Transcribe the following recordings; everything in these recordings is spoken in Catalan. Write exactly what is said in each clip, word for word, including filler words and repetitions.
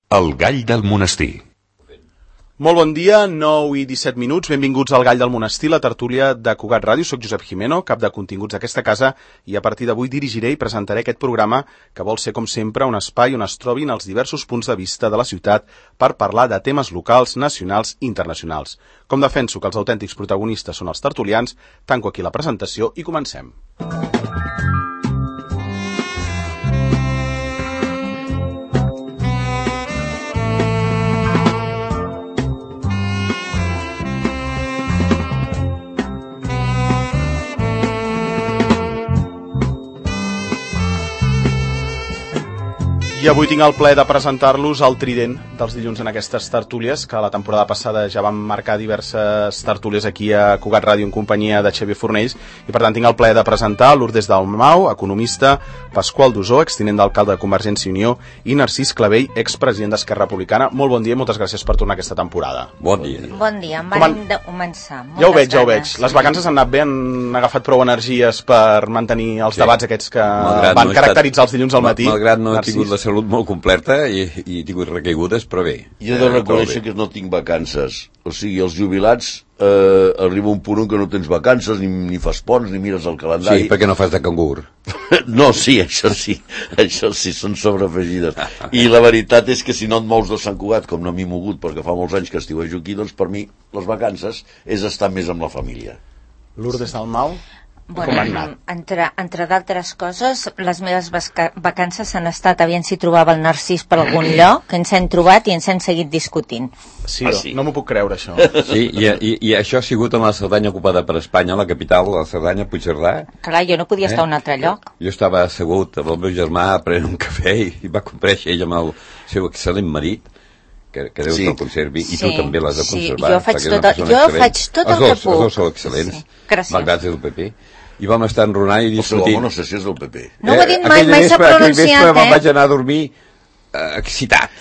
El gall del monestir. Molt bon dia, nou i disset minuts, benvinguts al Gall del Monestir, la tertúlia de Cugat Ràdio. Soc Josep Jimeno, cap de continguts d'aquesta casa, i a partir d'avui dirigiré i presentaré aquest programa que vol ser, com sempre, un espai on es trobin els diversos punts de vista de la ciutat per parlar de temes locals, nacionals i internacionals. Com defenso que els autèntics protagonistes són els tertulians, tanco aquí la presentació i comencem. I avui tinc el plaer de presentar-los el trident dels dilluns en aquestes tertúlies, que la temporada passada ja vam marcar diverses tertúlies aquí a Cugat Ràdio en companyia de Xavier Fornells, i per tant tinc el plaer de presentar Lourdes Dalmau, economista, Pasqual Dusó, extinent d'alcalde de Convergència i Unió, i Narcís Clavell, expresident d'Esquerra Republicana. Molt bon dia i moltes gràcies per tornar aquesta temporada. Bon dia. Bon dia, en vam de començar. Ja ho veig, ja ho veig. Les vacances han anat bé, han agafat prou energies per mantenir els sí. debats aquests que malgrat van no caracteritzar estat... els dilluns al matí. Malgrat no he tingut la salut molt completa i, i he tingut recaigudes, però bé. Jo he de reconèixer que no tinc vacances. O sigui, els jubilats eh, arriba un punt que no tens vacances, ni, ni fas ponts, ni mires el calendari. Sí, perquè no fas de cangur. No, sí, això sí. Això sí, són sobreafegides. I la veritat és que si no et mous de Sant Cugat, com no m'he mogut, perquè fa molts anys que estiuejo aquí, doncs per mi les vacances és estar més amb la família. Lourdes Dalmau? Bueno, entre, entre d'altres coses, les meves vacances han estat aviam si trobava el Narcís per algun lloc, que ens hem trobat i ens hem seguit discutint. Sí, ah, sí. No m'ho puc creure, això. Sí, i, i, i això ha sigut en la Cerdanya ocupada per Espanya, la capital, la Cerdanya, Puigcerdà. Clar, jo no podia eh? estar a un altre lloc. Jo estava assegut amb el meu germà prenent un cafè i, i va comparèixer ell amb el seu excel·lent marit, que, que Déu sí. te'l conservi, i sí, tu també l'has de conservar. Sí, jo faig tot, el, jo faig tot el dos, que puc. Els dos són excel·lents, sí. malgrat del P P. I vam estar enronant i discutint. Però no sé si és del P P. No ho he dit mai, mai s'ha pronunciat, eh? Me'n vaig anar a dormir eh, excitat.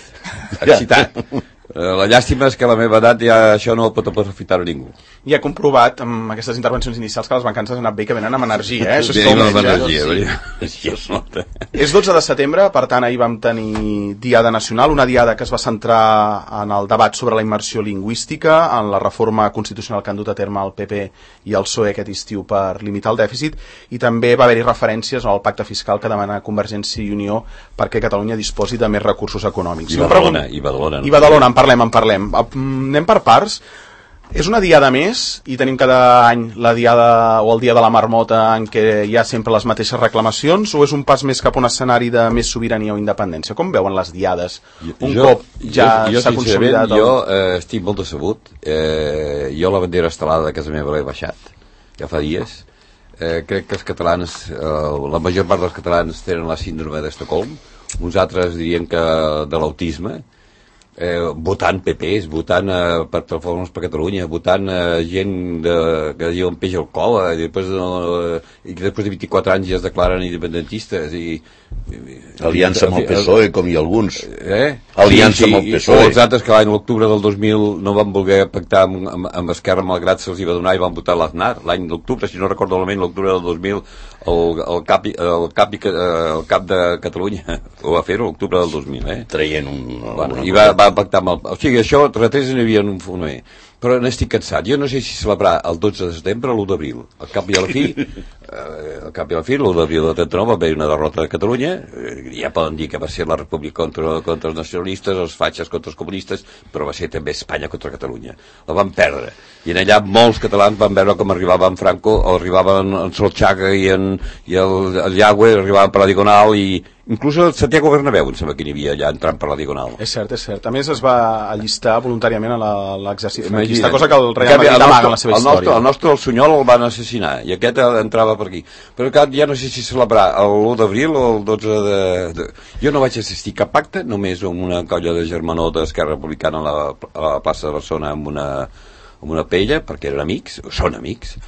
Excitat. La llàstima és que a la meva edat ja això no ho pot aprofitar a ningú. I he comprovat amb aquestes intervencions inicials que les vacances han anat bé, que venen amb energia, eh? Això és com amb menys, energia, eh? Sí. És dotze de setembre, per tant ahir vam tenir Diada Nacional, una diada que es va centrar en el debat sobre la immersió lingüística, en la reforma constitucional que han dut a terme el P P i el P S O E aquest estiu per limitar el dèficit, i també va haver-hi referències al pacte fiscal que demana Convergència i Unió perquè Catalunya disposi de més recursos econòmics. I Badalona, i Badalona. I Badalona, en parlem, en parlem. Anem per parts. És una diada més i tenim cada any la diada o el dia de la marmota en què hi ha sempre les mateixes reclamacions, o és un pas més cap a un escenari de més sobirania o independència? Com veuen les diades un jo, cop ja s'ha consolidat? El... Jo eh, estic molt decebut. Eh, jo la bandera estelada de casa meva l'he baixat ja fa dies. Eh, crec que els catalans, eh, la major part dels catalans tenen la síndrome d'Estocolm, uns altres dirien que de l'autisme. Eh, votant P Pes, votant eh, per Transformacions per Catalunya, votant eh, gent de, que diuen peix al col, eh, i, després, eh, i que després de vint-i-quatre anys ja es declaren independentistes i, i aliança amb el P S O E, com hi ha alguns. Eh? Aliança sí, sí, amb el P S O E. O els altres que l'any l'octubre del dos mil no van voler pactar amb, amb, amb Esquerra, malgrat se'ls hi va donar, i van votar l'Aznar l'any d'octubre, si no recordo malament, l'octubre del dos mil el, el, cap, el, cap, el cap de Catalunya ho va fer l'octubre del dos mil, eh? Traient un... Bueno, i va, va pactar amb el... O sigui, això, retrets n'hi havia un foner. Però n'estic cansat. Jo no sé si celebrar el dotze de setembre o l'u d'abril. Al cap i a la fi, eh, al cap i a la fi, l'u d'abril de trenta-nou va haver una derrota de Catalunya. Eh, ja poden dir que va ser la República contra, contra els nacionalistes, els fatxes contra els comunistes, però va ser també Espanya contra Catalunya. La van perdre. I en allà molts catalans van veure com arribava en Franco, o arribaven en Solchaga i, en, i el, el Yagüe, arribaven per la Diagonal, i inclús el Santiago Bernabéu em sembla que n'hi havia allà entrant per la Diagonal. És cert, és cert. A més es va allistar voluntàriament a l'exercici. Aquesta cosa que el Real Madrid amaga en la seva el història. Nostre, el nostre, el Sunyol, el van assassinar, i aquest entrava per aquí. Però clar, ja no sé si celebrar l'u d'abril o el dotze de, de... Jo no vaig assistir a cap pacte, només amb una colla de germanor d'Esquerra Republicana a la, a la plaça de Barcelona amb una, amb una paella, perquè eren amics, o són amics,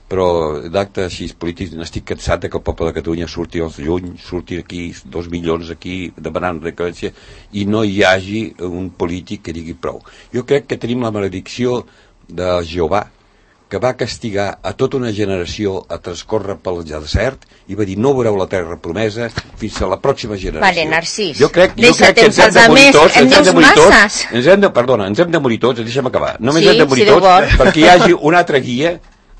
però d'actes així polítics n'estic cansat de que el poble de Catalunya surti als juny, surti aquí dos milions aquí demanant recurrència i no hi hagi un polític que digui prou. Jo crec que tenim la maledicció de Jehovà, que va castigar a tota una generació a transcórrer pel desert i va dir no veureu la terra promesa fins a la pròxima generació. Vale, Narcís. Jo crec, jo Deixa crec que ens temps hem de als morir altres, tots, en ens hem de dius morir tots, masses. ens hem de, perdona, ens hem de morir tots, deixa'm acabar, només Sí, hem de morir si tots vol. perquè hi hagi una altra guia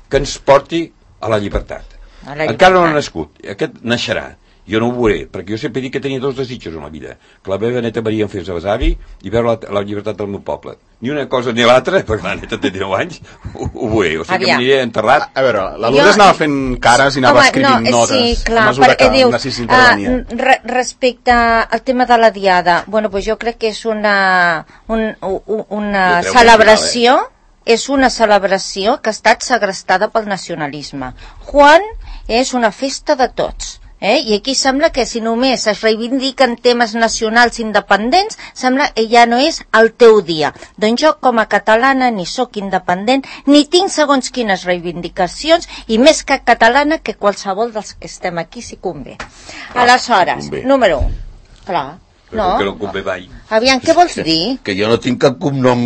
que ens porti a la llibertat. A la Encara no ha llibertat. nascut, aquest naixerà. Jo no ho veuré, perquè jo sempre dic que tenia dos desitjos en la vida, que la meva neta Maria em fes besavi i veure la, la llibertat del meu poble. Ni una cosa ni l'altra, perquè la neta té dinou anys, ho, ho veuré, o sigui que Aviam. m'aniré enterrat. A veure, la Lourdes Jo- anava fent cares i anava Home, escrivint no, notes sí, clar, a mesura perquè que diu, Narcís intervenia. uh, re, respecte al tema de la diada, bueno, pues jo crec que és una, un, un, una Jo crec que celebració, és una celebració que ha estat segrestada pel nacionalisme. Juan és una festa de tots. Eh? I aquí sembla que si només es reivindiquen temes nacionals independents, sembla que ja no és el teu dia. Doncs jo com a catalana ni sóc independent, ni tinc segons quines reivindicacions, i més que catalana que qualsevol dels que estem aquí si convé. Aleshores, convé. número un. Clar, Però no. que no em convé mai. Aviam, què vols dir? Que jo no tinc cap cognom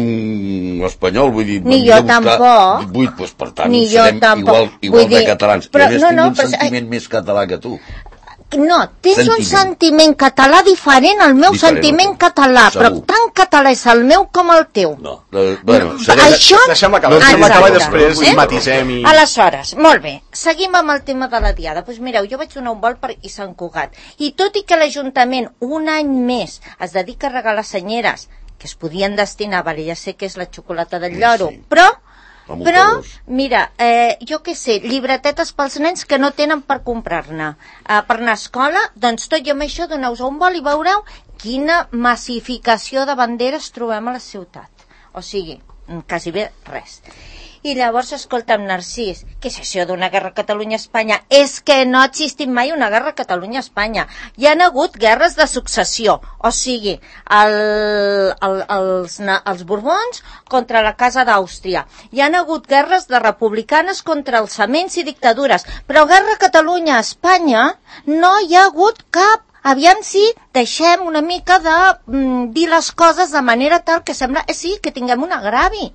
espanyol, vull dir... Ni m'havia jo de buscar tampoc. divuit, doncs per tant, Ni jo serem tampoc. igual, igual Vull de dir, catalans. però- I a més no, tinc no, un però- sentiment més català que tu. No, tens Sentiment. un sentiment català diferent al meu Diferent, sentiment ok. català, però Segur. tan català és el meu com el teu. No. Eh, bueno, No, serem... això... Deixem acabar, No, deixem exacte. acabar i després Eh? matisem i... Aleshores, molt bé, seguim amb el tema de la diada. Doncs pues mireu, jo vaig donar un vol per i Sant Cugat. I tot i que l'Ajuntament un any més es dedica a regalar senyeres, que es podien destinar, vale, ja sé que és la xocolata del lloro, Sí. però... Amb un Però, colors. mira, eh, jo què sé, llibretetes pels nens que no tenen per comprar-ne. Eh, per anar a escola, doncs tot i amb això doneu-vos un vol i veureu quina massificació de banderes trobem a la ciutat. O sigui, quasi bé res. I llavors, escolta'm, Narcís, què és això d'una guerra Catalunya-Espanya? És que no ha existit mai una guerra Catalunya-Espanya. Hi han hagut guerres de successió, o sigui, el, el, els, na- els Borbons contra la Casa d'Àustria. Hi han hagut guerres de republicanes contra els alçaments i dictadures, però guerra Catalunya-Espanya no hi ha hagut cap. Aviam si deixem una mica de mm, dir les coses de manera tal que sembla eh, sí, que tinguem un agravi.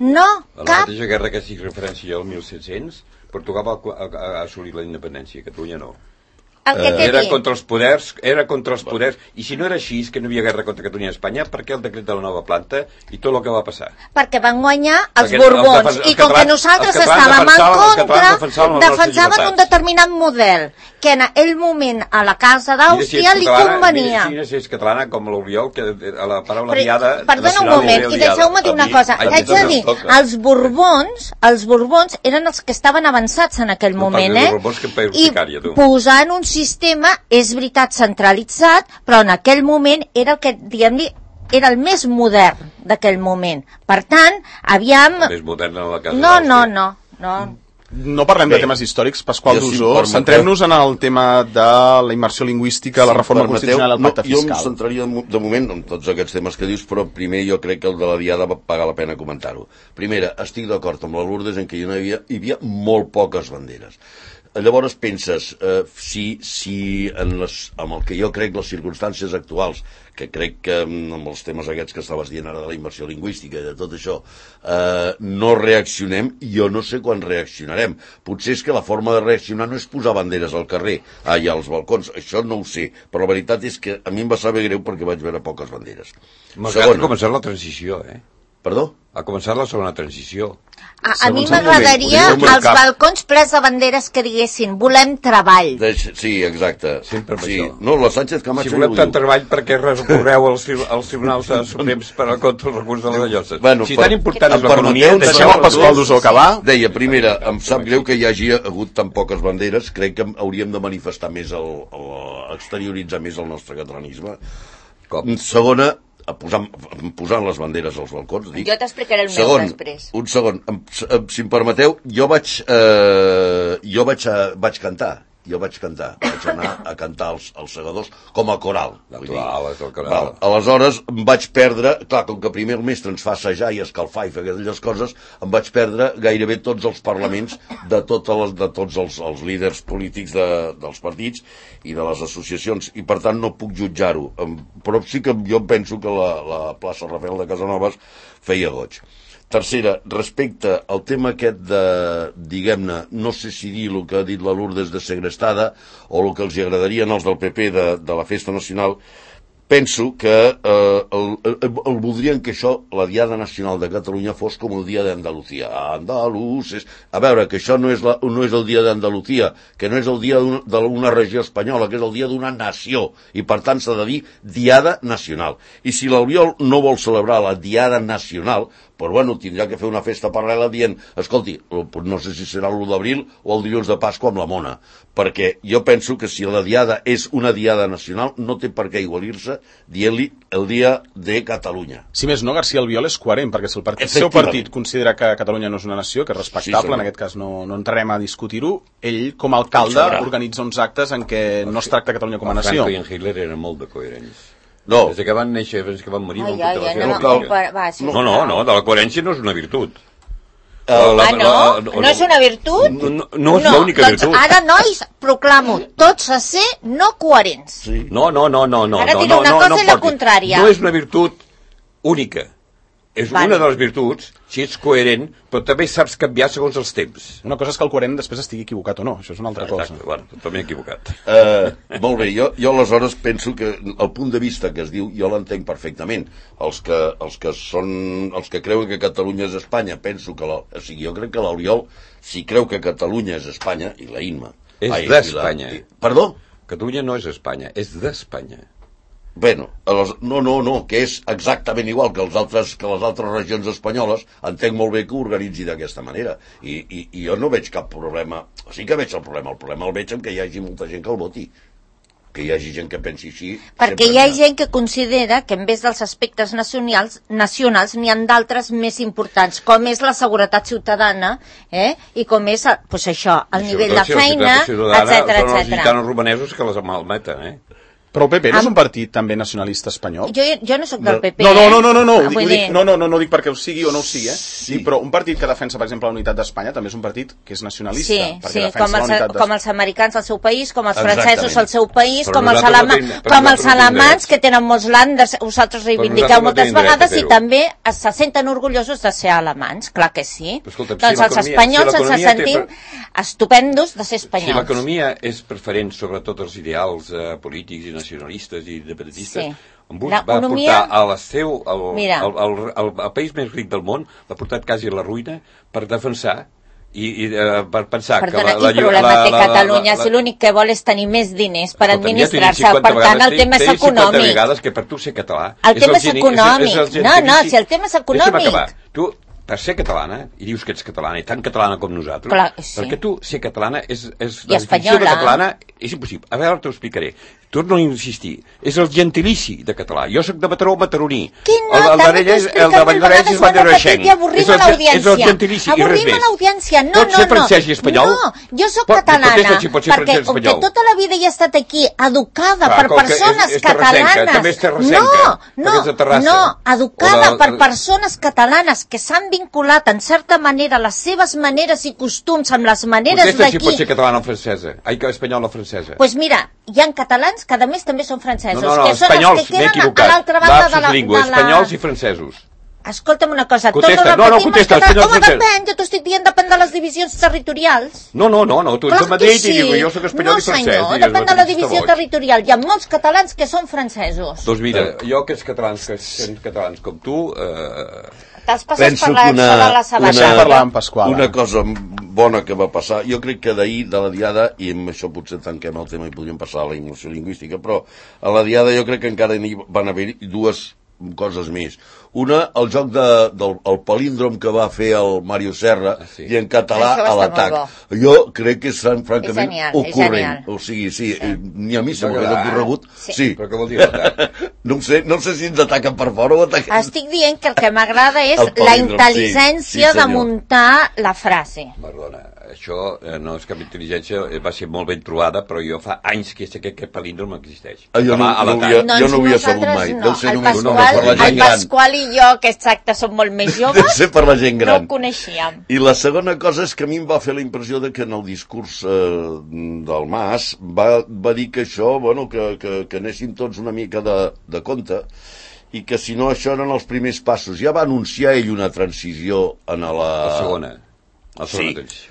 No, A la cap. mateixa guerra que estic referència al mil set-cents, Portugal va a, a, a assolir la independència, Catalunya no. El que t'he Era dit. contra els poders, era contra els poders, i si no era així, que no hi havia guerra contra Catalunya i Espanya, per què el decret de la nova planta i tot el que va passar? Perquè van guanyar els Perquè Borbons els defen- i els com que catalans- nosaltres els catalans estàvem en defensaven- els contra, catalans defensaven les nostres defensaven un llibertats. determinat model que en aquell moment a la Casa d'Àustria li convenia. Mira si és catalana com l'Oriol, que a la paraula Però, diada... perdona un nacional moment, diria i diada. deixeu-me dir A una mi- cosa. a mi Haig de també dir, em toca. els Borbons, els Borbons eren els que estaven avançats en aquell No moment, parlis de eh? Borbons, que em pego I sicària, tu. posant un sistema, és veritat, centralitzat, però en aquell moment era el que, diguem-li, era el més modern d'aquell moment. Per tant, aviam... Més moderna la casa No, no, d'Àustria. no, no. No parlem Bé, de temes històrics, Pasqual jo, si em Dusó. permeteu- Centrem-nos en el tema de la immersió lingüística, la reforma Permeteu, constitucional i el pacte no, jo em fiscal. centraria de, mo- de moment en tots aquests temes que dius, però primer jo crec que el de la diada va pagar la pena comentar-ho. Primera, estic d'acord amb la Lourdes en què hi havia, hi havia molt poques banderes. Llavors penses, eh, si, si en les, amb el que jo crec les circumstàncies actuals, que crec que mm, amb els temes aquests que estaves dient ara de la immersió lingüística i de tot això, eh, no reaccionem, jo no sé quan reaccionarem. Potser és que la forma de reaccionar no és posar banderes al carrer, ah, i als balcons, això no ho sé, però la veritat és que a mi em va saber greu perquè vaig veure poques banderes. Malgrat ha començat la transició, eh? Perdó? Ha començat la segona transició. A, a Segons mi el m'agradaria moment, ho diu els cap. balcons plens de banderes que diguessin volem treball. Deix, sí, exacte. Sempre amb sí. això. No, la Sánchez Camacho... Si volem ja ho tant diu. treball, per què recorreu als, tri- als tribunals de suprems per a contra els recursos de les lloses? Bueno, si per- tan important és em l'economia... permeteu, Deixem el Pasqual Dusó acabar. Deia, primera, em sap greu que hi hagi hagut tan poques banderes, crec que hauríem de manifestar més, el, el, exterioritzar més el nostre catalanisme. Com? Segona, a posar, posant les banderes als balcons. Dic. Jo t'explicaré el meu segon, després. Un segon, em, em, si em permeteu, jo vaig, eh, jo vaig, a, vaig cantar. Jo vaig cantar, vaig anar a cantar als, als segadors com a coral. Vull dir. Natural, és el coral. Val, aleshores em vaig perdre, clar, com que primer el mestre ens fa assajar i escalfar i fer aquelles coses, em vaig perdre gairebé tots els parlaments de, totes les, de tots els, els líders polítics de, dels partits i de les associacions, i per tant no puc jutjar-ho. Em- Però sí que jo penso que la, la plaça Rafael de Casanovas feia goig. tercera, respecte al tema aquest de, diguem-ne, no sé si dir el que ha dit la Lourdes de segrestada o el que els agradaria als del P P de, de la festa nacional, penso que eh, el, el, el voldrien que això, la Diada Nacional de Catalunya, fos com el dia d'Andalucía. Andaluces... A veure, que això no és, la, no és el dia d'Andalucía, que no és el dia d'una regió espanyola, que és el dia d'una nació, i per tant s'ha de dir Diada Nacional. I si l'Albiol no vol celebrar la Diada Nacional, però bueno, tindrà que fer una festa paral·lela dient, escolti, no sé si serà l'u d'abril o el dilluns de Pasqua amb la mona, perquè jo penso que si la diada és una diada nacional, no té per què igualir-se dient-li el dia de Catalunya. Si més no, García Albiol és coherent, perquè si el, partit, el seu partit considera que Catalunya no és una nació, que és respectable, sí, en aquest cas no, no entrarem a discutir-ho, ell, com a alcalde, organitza uns actes en què no es tracta Catalunya com a nació. Franco i en Hitler eren molt de coherents. No. Des que van néixer, fins que van morir... Ai, ai, ai, no, cal... va, sí, no, no, no, de la coherència no és una virtut. Uh, la, ah, no? La, la, no és una virtut? No, no, no és no, l'única doncs virtut. Ara, nois, proclamo tots a ser no coherents. Sí. No, no, no, no. Ara no, diré una no, cosa no, i no la contrària. No és una virtut única. És vale. Una de les virtuts, si ets coherent, però també saps canviar segons els temps. Una cosa és que el coherent després estigui equivocat o no, això és una altra Exacte, cosa. Bueno, també equivocat. Uh, molt bé, jo, jo aleshores penso que el punt de vista que es diu, jo l'entenc perfectament. Els que, els que són, els que creuen que Catalunya és Espanya, penso que, la, o sigui, jo crec que l'Oriol, si creu que Catalunya és Espanya, i la Inma... És d'Espanya. Perdó? Catalunya no és Espanya, és d'Espanya. Bueno, les, no, no, no, que és exactament igual que, els altres, que les altres regions espanyoles, entenc molt bé que ho organitzi d'aquesta manera. I, i, I jo no veig cap problema, sí que veig el problema, el problema el veig en que hi hagi molta gent que el voti. Que hi hagi gent que pensi així... Perquè hi ha gent que considera que en vez dels aspectes nacionals, nacionals n'hi ha d'altres més importants, com és la seguretat ciutadana, eh? I com és, pues això, el això, nivell de feina, etcètera, etcètera. Són els gitanos romanesos que les malmeten, eh? Però el P P no és un partit també nacionalista espanyol? Jo, jo no sóc del P P. No, no, no, no, no, no, ho dic, dir... no, no, no, no dic perquè ho sigui o no ho sigui, eh? Sí. Dic, però un partit que defensa, per exemple, la unitat d'Espanya també és un partit que és nacionalista. Sí, perquè sí, defensa com els, la unitat com els americans al seu país, com els Exactament. francesos al seu país, Però com els, alema... no com els alemans, que tenen molts landers, vosaltres reivindiqueu moltes no vegades, i també se senten orgullosos de ser alemans, clar que sí. Escolta, doncs si els espanyols si ens sentim per... estupendos de ser espanyols. Si l'economia és preferent sobre tots els ideals eh, polítics i nacionalistes i independentistes, sí. Bush va portar a la seu, el, el, el, el, el país més ric del món, l'ha portat quasi a la ruïna per defensar i, i uh, per pensar Perdona, que la, la, quin problema la, té la, Catalunya? la, la, si l'únic que vol és tenir més diners per escolta, administrar-se, per tant el tema és econòmic. cinquanta vegades que per tu ser català el tema és econòmic. No, no, si el tema és econòmic. Tu, per ser catalana, i dius que ets catalana, i tan catalana com nosaltres, clar, sí. Perquè tu ser catalana és, és la definició de catalana és impossible. A veure, t'ho explicaré. Torno a insistir. És el gentilici de català. Jo sóc de Mataró, mataroní. Que no, el, el, el, el, el de Valldoreix és Valldoreixenc. És el, és el gentilici i res més. l'audiència. No, pot ser francès i espanyol? No, jo sóc catalana. Si pot ser perquè com que tota la vida he estat aquí educada clar, per persones és, és catalanes. També és terrassenca. No, no, no, educada per persones catalanes que s'han vinculat en certa manera les seves maneres i costums amb les maneres d'aquí. Contesta si pot ser catalana o francesa. Ai, que espanyola o francesa. Doncs pues mira, hi ha catalans que a més també són francesos. No, no, no, que són espanyols, els que queden equivocat. a l'altra banda de la, lingua, de la... espanyols i francesos. Escolta'm una cosa, contesta, tot ho no, no, repetim contesta, català. Home, francès. depèn, jo t'ho estic dient, depèn de les divisions territorials. No, no, no, no tu ets clar de Madrid sí. i diu, jo soc espanyol no, i francès. No, senyor, depèn de la divisió territorial. Hi ha molts catalans que són francesos. Doncs mira, jo que ets catalans, que sent catalans com tu... Eh... Te'ls passes per la, una, per la sabata. Una, una cosa bona que va passar, jo crec que d'ahir de la diada, i amb això potser tanquem el tema i podríem passar a la immersió lingüística, però a la diada jo crec que encara hi van haver dues coses més. Una, el joc de, del el palíndrom que va fer el Mario Serra, ah, sí. I en català a l'atac. Jo crec que és francament és genial, ocorrent. O sigui, sí, sí. Ni a mi se m'ho ha ocorregut. Sí. sí. Però què vol dir l'atac? No ho sé, no sé si ens ataquen per fora o ataquen... Estic dient que el que m'agrada és la intel·ligència sí, sí, de muntar la frase. Perdona, això eh, no és cap intel·ligència, va ser molt ben trobada, però jo fa anys que sé que aquest palíndrom existeix. Ah, jo no, no, havia, doncs jo no ho havia sabut mai. No. Ser El, només, Pasqual, no, el Pasqual i jo, que exacte som molt més joves, deu ser per la gent gran. No ho coneixíem. I la segona cosa és que a mi em va fer la impressió de que en el discurs eh, del Mas va, va dir que això, bueno, que, que, que anéssim tots una mica de, de compte i que si no això eren els primers passos. Ja va anunciar ell una transició en la... La segona. La segona sí. transició.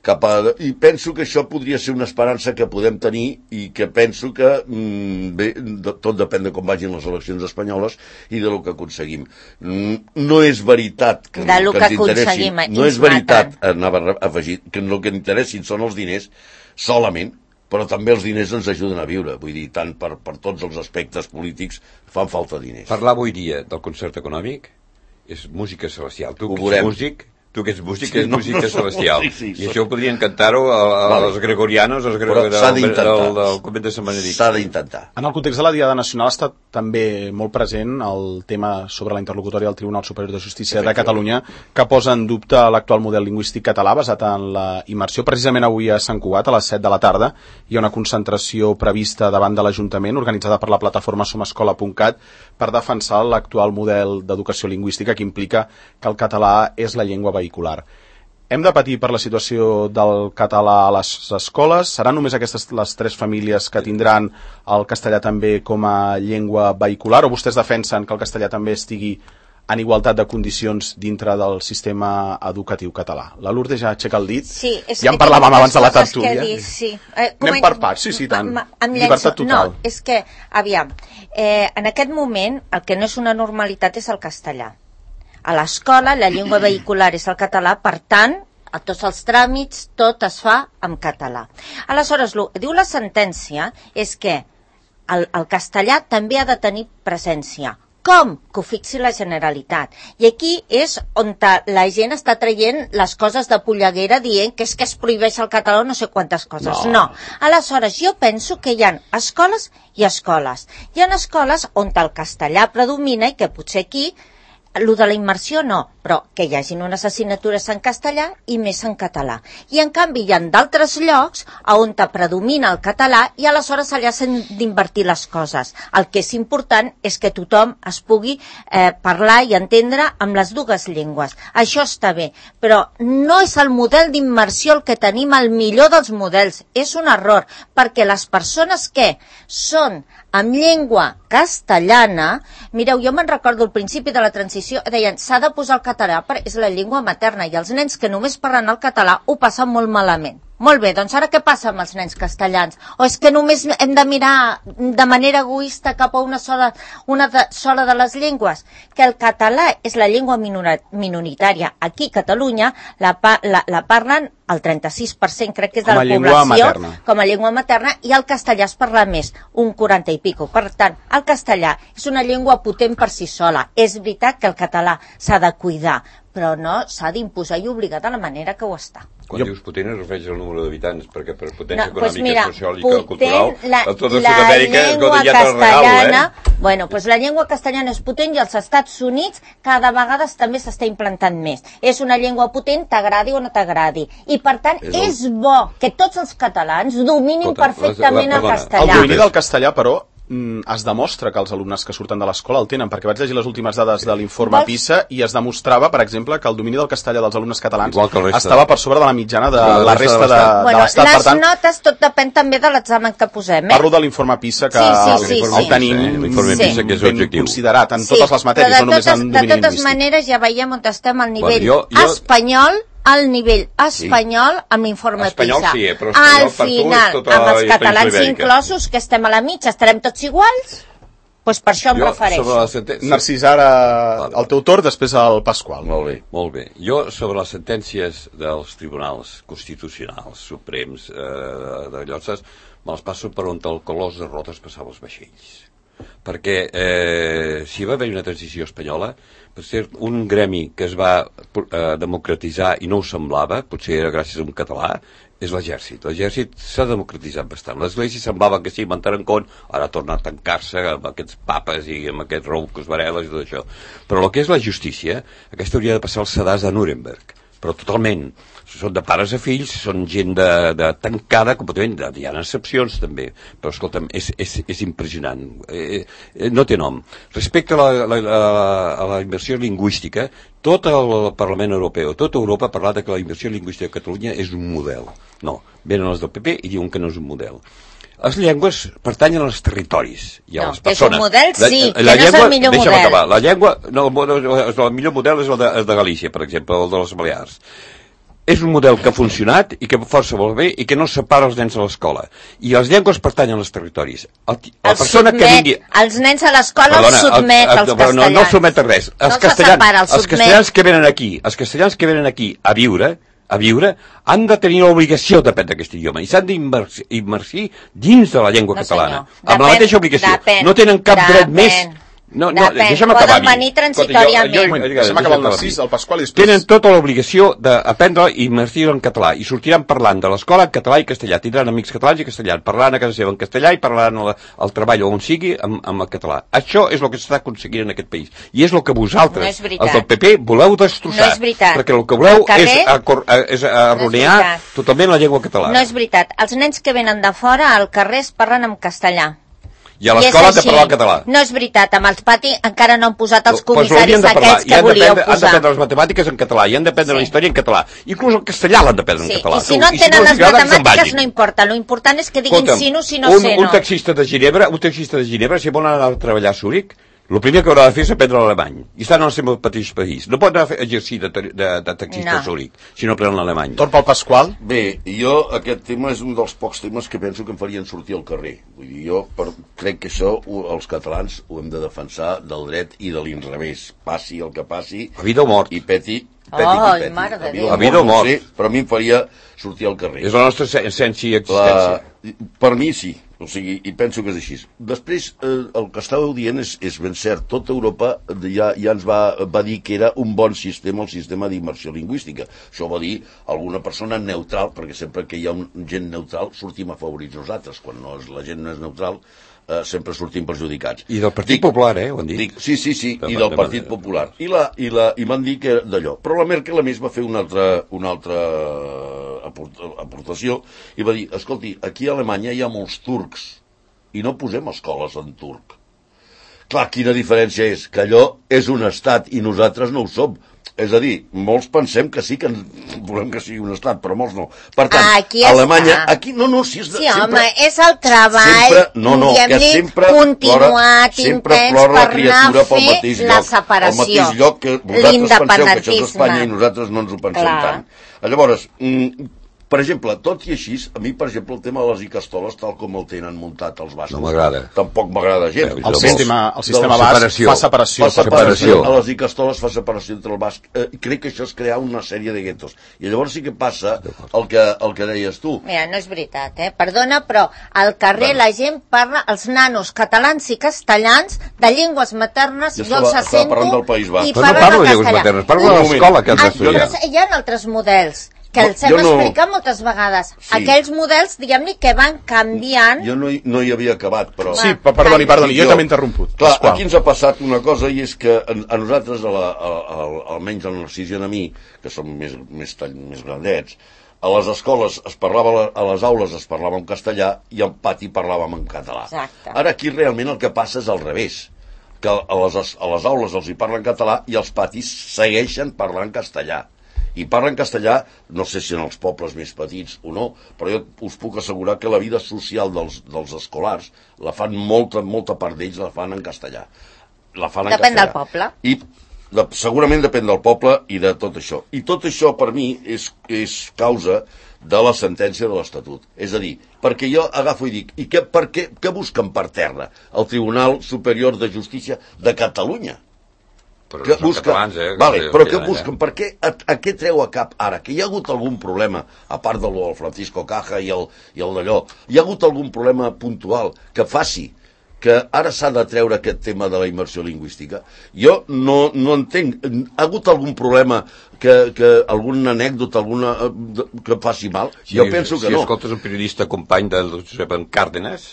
Cap a... I penso que això podria ser una esperança que podem tenir i que penso que mm, bé, de, tot depèn de com vagin les eleccions espanyoles i de lo que aconseguim. Mm, no és veritat que, de lo que, que ens interessin, aconseguim, no és veritat, anava a afegir, que el que interessin són els diners solament, però també els diners ens ajuden a viure, vull dir, tant per, per tots els aspectes polítics fan falta diners. Parlar avui dia del concert econòmic és música celestial. Tu Ho que ets veurem. músic, tu que ets músic, Sí, és no, música no, celestial. sí, sí, I sí. això ho podrien cantar-ho a, a, Vale. als gregorianos, als Però gregorianos s'ha del, d'intentar. del, del convent de Sant Benedict. S'ha d'intentar. En el context de la Diada Nacional està també molt present el tema sobre la interlocutòria del Tribunal Superior de Justícia de Catalunya, que posa en dubte l'actual model lingüístic català basat en la immersió. Precisament avui a Sant Cugat, a les set de la tarda, hi ha una concentració prevista davant de l'Ajuntament, organitzada per la plataforma somescola punt cat, per defensar l'actual model d'educació lingüística que implica que el català és la llengua vehicular. Hem de patir per la situació del català a les escoles? Seran només aquestes les tres famílies que tindran el castellà també com a llengua vehicular, o vostès defensen que el castellà també estigui en igualtat de condicions dintre del sistema educatiu català? La Lourdes ja aixeca el dit. Sí, és ja en que parlàvem tinc abans de la moltes coses tertúlia. que dir, sí. Eh, Anem per parts, sí, sí, tant. Ma- ma- em Llibertat llenço. total. No, és que, aviam, eh, en aquest moment el que no és una normalitat és el castellà. A l'escola la llengua vehicular és el català, per tant, a tots els tràmits tot es fa en català. Aleshores, el que diu la sentència és que el, el castellà també ha de tenir presència. Com? Que ho fixi la Generalitat. I aquí és on la gent està traient les coses de polleguera dient que és que es prohibeix el català o no sé quantes coses. No. no. Aleshores, jo penso que hi ha escoles i escoles. Hi ha escoles on el castellà predomina i que potser aquí el de la immersió no, però que hi hagin unes assignatures en castellà i més en català. I en canvi hi ha d'altres llocs on predomina el català i aleshores allà s'han d'invertir les coses. El que és important és que tothom es pugui eh, parlar i entendre amb les dues llengües. Això està bé, però no és el model d'immersió el que tenim el millor dels models. És un error, perquè les persones que són amb llengua castellana, mireu, jo me'n recordo al principi de la transició, deien, s'ha de posar el català perquè és la llengua materna i els nens que només parlen el català ho passen molt malament. Molt bé, doncs ara què passa amb els nens castellans? O és que només hem de mirar de manera egoista cap a una sola, una de, sola de les llengües? Que el català és la llengua minoritària. Aquí a Catalunya la, la, la parlen el trenta-sis per cent, crec que és de la població, com a llengua materna, i el castellà es parla més, un quaranta i pico. Per tant, el castellà és una llengua potent per si sola. És veritat que el català s'ha de cuidar, però no s'ha d'imposar i obligar de la manera que ho està. Quan jo... dius potent es refereix al número d'habitants, perquè per potència no, pues econòmica, mira, social i potent, cultural, la, a tota la Sud-amèrica, escolta, ja te'l regalo, eh? Bueno, pues la llengua castellana és potent i als Estats Units cada vegada també s'està implantant més. És una llengua potent, t'agradi o no t'agradi. I per tant, és, el... és bo que tots els catalans dominin Escolta, perfectament la, la, el castellà. El domini del castellà, però, es demostra que els alumnes que surten de l'escola el tenen, perquè vaig llegir les últimes dades de l'informe PISA i es demostrava, per exemple, que el domini del castellà dels alumnes catalans estava per sobre de la mitjana de la, la resta de, de, bueno, de l'Estat. Les tant, notes, tot depèn també de l'examen que posem. Eh? Parlo de l'informe PISA, que sí, sí, sí, el, sí. el tenim sí. PISA, que és ben objectiu. considerat en sí, totes les matèries, no només en domini lingüístic. De totes lingüístic. maneres, ja veiem on estem al nivell bueno, jo, jo... espanyol, al nivell espanyol, sí. amb l'informe PISA. Sí, però espanyol, al final, tota amb els catalans inclosos, que estem a la mitja, estarem tots iguals? Pues per això em jo, refereixo. Senten... Narcís, ara el teu torn, després el Pasqual. Molt bé, molt bé. Jo, sobre les sentències dels tribunals constitucionals, suprems, eh, de lloses, me les passo per on el colós de rodes passava els vaixells. Perquè eh, si va haver una transició espanyola, per ser un gremi que es va eh, democratitzar i no ho semblava, potser era gràcies a un català, és l'exèrcit. L'exèrcit s'ha democratitzat bastant. L'església semblava que sí, van Tarancón, ara ha tornat a tancar-se amb aquests papes i amb aquests roucos vareles i tot això. Però el que és la justícia, aquesta hauria de passar al sedàs de Nuremberg. Però totalment. Són de pares a fills, són gent de, de tancada, completament, hi ha excepcions també, però escolta'm, és, és, és impressionant, eh, eh, no té nom. Respecte a la, la, la, a la inversió lingüística, tot el Parlament Europeu, tota Europa ha parlat que la inversió lingüística a Catalunya és un model. No, venen els del P P i diuen que no és un model. les llengües pertanyen als territoris i a No, les que és un persones. model, sí, la, que la no és el llengua, millor deixa'm model. acabar. La llengua, no, el, el millor model és el de, el de Galícia, per exemple, el de les Balears. És un model que ha funcionat i que força molt bé i que no separa els nens a l'escola. I les llengües pertanyen als territoris. El, la Els persona sotmet, que vingui... els nens a l'escola els sotmet, els castellans. No, no els sotmet a res. Els, No castellans, separa, els els sotmet. castellans que venen aquí, els castellans que venen aquí a viure, a viure, han de tenir l'obligació d'aprendre aquest idioma i s'han d'immertir dins de la llengua No, catalana. senyor. Amb la Depèn, mateixa obligació. depèn, no tenen cap depèn. dret més... No, no, Depèn. deixa'm acabar. Poden venir transitòriament. Jo, jo, jo, Deixa'm acabar el Narcís, el Pasqual i després... Tenen tota l'obligació d'aprendre i immertir en català i sortiran parlant de l'escola en català i castellà. Tindran amics catalans i castellà, parlant a casa seva en castellà i parlant al, al treball on sigui amb, amb el català. Això és el que s'està aconseguint en aquest país. I és el que vosaltres, No és veritat. els del P P, voleu destrossar. No és veritat. Perquè el que voleu Al carrer- és, acor, és arruïnar No és veritat. totalment la llengua catalana. No és veritat. Els nens que venen de fora al carrer es parlen en castellà. I a I és l'escola han de així. parlar el català. No és veritat, amb els pati encara no han posat els Pues comissaris l'haurien de parlar. aquells I que han volíeu d'aprendre- Han posar. d'aprendre les matemàtiques en català, i han d'aprendre Sí. la història en català. Inclús el castellà l'han d'aprendre Sí, en català. i si Tu, no entenen els les agrada, que se'n matemàtiques vagin. no importa, lo important és que diguin Escolta'm, sí no, si no un, sé un no. taxista de Ginebra, un taxista de Ginebra, si vol anar a treballar a Zúrich, el primer que haurà de fer és aprendre l'alemany. I estan en el seu mateix país. No pot anar a fer- exercir de, de, de taxista No. a Zúrich si no aprenen l'alemany. Torn pel Pasqual. Bé, jo aquest tema és un dels pocs temes que penso que em farien sortir al carrer. Vull dir, jo per, crec que això ho, els catalans ho hem de defensar del dret i de l'inrevés. Passi el que passi. A vida o mort. I peti, peti Ai, qui peti. mare de A Déu. A vida o no ho mort. sé, però a mi em faria sortir al carrer. És la nostra essència i La, existència. per mi sí, o sigui, i penso que és així. Després, eh, el que estàveu dient és, és ben cert. Tota Europa ja, ja ens va, va dir que era un bon sistema, el sistema d'immersió lingüística. Això ho va dir alguna persona neutral, perquè sempre que hi ha un, gent neutral sortim afavorits nosaltres. Quan no és, la gent no és neutral, eh, sempre sortim perjudicats. I del Partit Popular, eh, ho han dit. Dic, sí, sí, sí, De- i del de- Partit de- Popular. I, la, i, la, i van dir que era d'allò. Però la Merkel a més va fer una altra, una altra aport, aportació i va dir, escolti, aquí a Alemanya hi ha molts turcs i no posem escoles en turc. Clar, quina diferència és? Que allò és un estat i nosaltres no ho som. És a dir, molts pensem que sí que ens volem que sigui un estat, però molts no. Per tant, Aquí a Alemanya... està. Aquí, no, no, si és de, Sí, home, sempre, és el treball, sempre, no, no, que diguem-li, sempre continuat, plora, sempre intens plora la per criatura anar a pel fer mateix la lloc. separació, Al mateix lloc que vosaltres penseu que això és l'independentisme. Espanya i nosaltres no ens ho pensem Clar. tant. Llavors, mm, per exemple, tot i així, a mi, per exemple, el tema de les icastoles, tal com el tenen muntat els bascos, No m'agrada. tampoc m'agrada gens. Bé, El de sistema, el sistema de la basc separació. fa separació. Fa separació. separació. A les icastoles fa separació entre el basc. Eh, crec que això és crear una sèrie de guetos. I llavors sí que passa el que, el que deies tu. Mira, no és veritat, eh? Perdona, però al carrer Bueno. la gent parla, els nanos catalans i castellans, de llengües maternes, Jo jo els estava- estava assento parlant del País Basc. i Però no parlen parlo de en llengües castellà. maternes, parlo Un de moment. l'escola que has Ah, d'estudiar. però hi ha altres models que els Jo hem no- explicat moltes vegades. Sí. Aquells models, diguem-ne, que van canviant. Jo no hi, no hi havia acabat, però... Sí, per- perdoni, perdoni, jo també he interromput. Clar, Pasqual. aquí ens ha passat una cosa i és que a, a nosaltres, a la, a, a, almenys el Narcís i a mi, que som més, més, tall, més grandets, a les escoles es parlava, a les aules es parlava en castellà i al pati parlàvem en català. Exacte. Ara aquí realment el que passa és al revés, que a les, a les aules els hi parlen català i els patis segueixen parlant castellà. I parlen castellà, no sé si en els pobles més petits o no, però jo us puc assegurar que la vida social dels, dels escolars la fan molta, molta part d'ells la fan en castellà. La fan en Depèn castellà. del poble. I de, segurament depèn del poble i de tot això. I tot això, per mi, és, és causa de la sentència de l'Estatut. És a dir, perquè jo agafo i dic, i què, per què, què busquen per terra el Tribunal Superior de Justícia de Catalunya? Però Que no són busca... catalans, eh? Vale, que- però que què allà. busquen? Per què, a, a què treu a cap ara? Que hi ha hagut algun problema, a part del del Francisco Caja i el, i el d'allò, hi ha hagut algun problema puntual que faci que ara s'ha de treure aquest tema de la immersió lingüística? Jo no, no entenc. Ha hagut algun problema, que, que alguna anècdota, alguna eh, que faci mal? Si, Jo penso que si no. escoltes un periodista company del Josep en Cárdenas,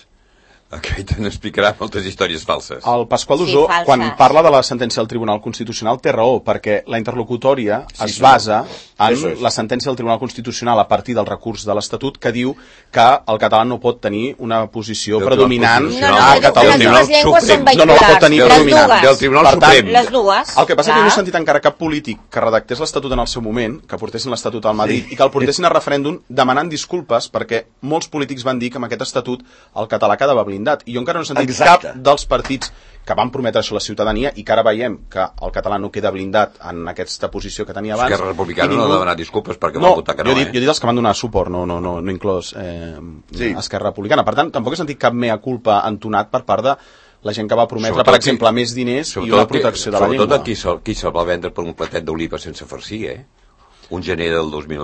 Aquest n'explicarà moltes històries falses. El Pasqual Sí, Dusó, falses. quan parla de la sentència del Tribunal Constitucional, té raó, perquè la interlocutòria Sí, es sí. basa en Eso es. la sentència del Tribunal Constitucional a partir del recurs de l'Estatut que diu que el català no pot tenir una posició Del predominant Tribunal No, no, a les, Catalunya. les llengües són Suprem. No, no, vehiculars. pot tenir les predominant. dues. Del Tribunal Per tant, Suprem. Les dues. El que passa és que clar. no he sentit encara cap polític que redactés l'Estatut en el seu moment, que portessin l'Estatut al Madrid sí. i que el portessin a referèndum demanant disculpes perquè molts polítics van dir que amb aquest Estatut el català quedava blindat. I jo encara no he sentit Exacte. cap dels partits que van prometre això a la ciutadania i que ara veiem que el català no queda blindat en aquesta posició que tenia abans. Esquerra Republicana I no ha de demanar disculpes perquè no, va votar que no, jo he dit, eh? jo he dit els que van donar suport, no, no, no, no inclòs eh, Sí. Esquerra Republicana. Per tant, tampoc he sentit cap mea culpa entonat per part de la gent que va prometre, Sobretot per exemple, qui- més diners i Sobretot una qui- protecció de la sobretot llengua. qui se'l qui se va vendre per un platet d'oliva sense farcir, eh? Un gener del dos mil...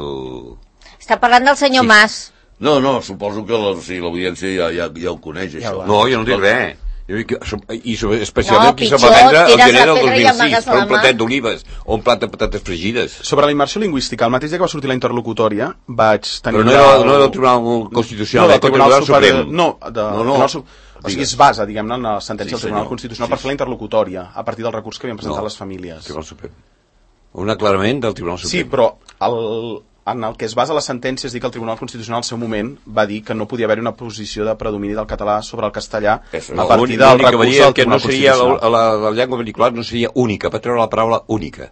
Està parlant del senyor Sí. Mas. No, no, suposo que la, sí, l'audiència ja, ja, ja ho coneix, Ja això. va. No, jo no dic res. Jo dic que, I sobre- especialment No, qui se pitjor, va vendre el tires gener la del pedra dos i mil sis amagues per la un mà. platet d'olives o un plat de patates fregides. Sobre la immersió lingüística, el mateix dia que va sortir la interlocutòria, vaig tenir... Però no era, no era del Tribunal Constitucional, no, era del del Tribunal Suprem. No, de, No, no. Tribunal Su- O sigui, es basa, diguem-ne, en la sentència Sí, del Tribunal senyor. Constitucional Sí, per fer la sí. interlocutòria, a partir del recurs que havien presentat No. les famílies. Tribunal Suprem. Un aclarament del Tribunal Sí, Suprem. però el, en el que es basa la sentència és dir que el Tribunal Constitucional al seu moment va dir que no podia haver-hi una posició de predomini del català sobre el castellà Eso, a no, partir L'únic- del l'únic que recurs varia del que no Tribunal seria la, Constitucional. la, la llengua vehicular no seria única, va treure la paraula única.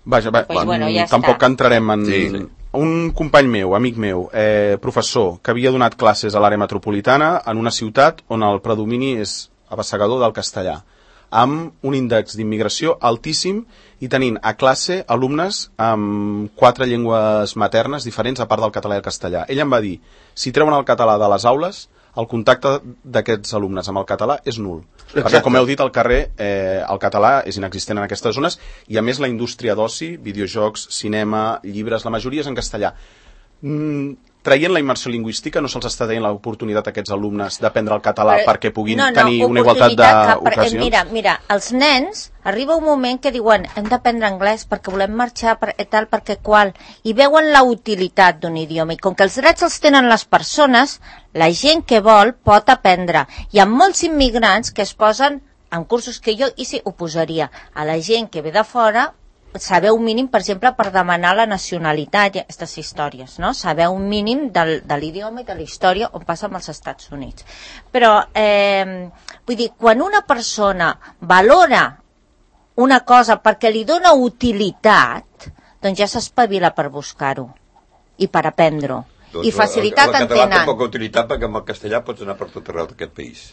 Vaja, va, Pues bueno, ja tampoc està. entrarem en... Sí, sí. Un company meu, amic meu, eh, professor, que havia donat classes a l'àrea metropolitana en una ciutat on el predomini és abassegador del castellà, amb un índex d'immigració altíssim i tenint a classe alumnes amb quatre llengües maternes diferents a part del català i el castellà. Ell em va dir, si treuen el català de les aules, el contacte d'aquests alumnes amb el català és nul. Perquè, com heu dit, al carrer eh, el català és inexistent en aquestes zones i, a més, la indústria d'oci, videojocs, cinema, llibres, la majoria és en castellà. Mm, traient la immersió lingüística no se'ls està deien l'oportunitat a aquests alumnes d'aprendre el català Però- perquè puguin no, no, tenir una igualtat oportunitat que per- eh, d'ocasions? Mira, mira, els nens arriba un moment que diuen hem d'aprendre anglès perquè volem marxar per, eh, tal, perquè qual, i veuen la utilitat d'un idioma, i com que els drets els tenen les persones, la gent que vol pot aprendre. Hi ha molts immigrants que es posen en cursos que jo, i sí, ho posaria a la gent que ve de fora, saber un mínim, per exemple, per demanar la nacionalitat i aquestes històries, no? Saber un mínim del, de l'idioma i de la història on passa amb els Estats Units. Però, eh, vull dir, quan una persona valora una cosa perquè li dona utilitat, doncs ja s'espavila per buscar-ho i per aprendre-ho. I facilitat en el, el català té tenen. poca utilitat perquè amb el castellà pots anar per tot arreu d'aquest país.